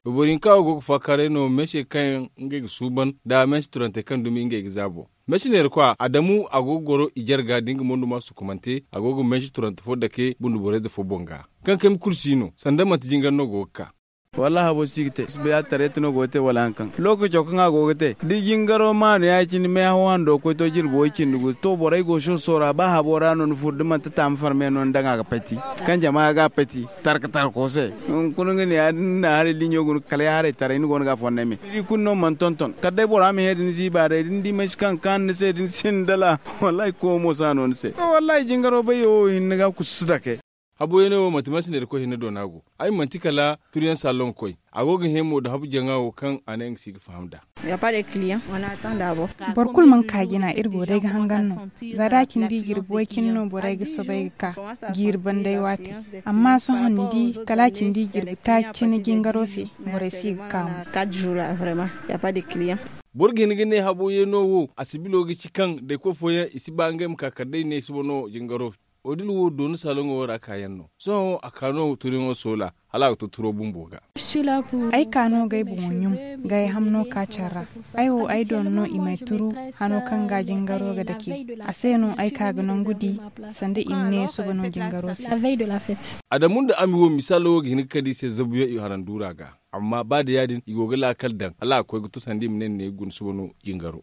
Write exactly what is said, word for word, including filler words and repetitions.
Boro hinka wo go ga faakaaray no meese kaŋ ngey ga suuban nda meese turantey kaŋ dumi ngey ga za boŋ. Meese neera kwa adamu a go ga goro i jarga da nga mondo ma sukumante a go ga meese turante fo dake bundu borey ze fo boŋ ga. Kaŋ kayma kulu si no sanda manti jingar no go ga ka. Wallaahi habo si ga te si bay a tareeti no go ga te wala hari kaŋ lookaco kaŋ a go ga te da jingaro maanu ya- cine meehaw hando koy to jirbi way- cindi guda to borey go soso ra ba habo ra no ni furo da manti taama farme no ni daŋ a ga pati. Kaŋ jama ga a pati tarka tarko se. Hunkuna nga ne ya- din ni na haray liɲo guna kala ya haray taray ni go no ga a fonda me ni di kulu no mana tonton kala day bora ma he da ni ziiba day da ni di mansi kaŋ ga kaanu ni se da ni sinda la. Wallaahi koy mo si a no ni se to wallaahi jingaro bayyo wo hinne ga kusu si dake. Habuyaŋo wo manti mansi neera koy hinne do no a go. Ay manti kala turiyaŋ saalon ga koy. A go ga hẽ mo nda habu jaŋa wo kaŋ a ne nga si ga faham nd'a. Boro kulu mana ka jina iri go day ga hangan no. Za da a cindi jirbi way- cine no borey ga soobay ga ka jiiri banday waati. Amma sohõ ni di kala a cindi jirbi taaci cine jingaro se borey si ga ka mo. Boro ga hin ga ne habo yeeno wo a sibilo ga ci kaŋ dayko fooyaŋ i si ba ngey ma ka kala day ne suba no jingaro. Odil wo dooni saloŋo ra kaayaŋ no sohõ a ka no turiyaŋo soola hala a ga to turo bumbo ga. Ay ka no ga ay boŋo ɲum ga ay hamno ka care ra. Ay wo ay dooni no i m'ay turu hano kaŋ ga jingaro ga dake. A se no ay ka ga nangu di sanda i ma ne suba no jingaro se. Adamu nda ami wo misaalo wo ga hin ga kande i se zabuyaŋ i haranduura ga. Amma ba da ya- din i go ga laakal daŋ hala a ga koy ga to sanda i ma ne ni ne ga guna suba no jingaro.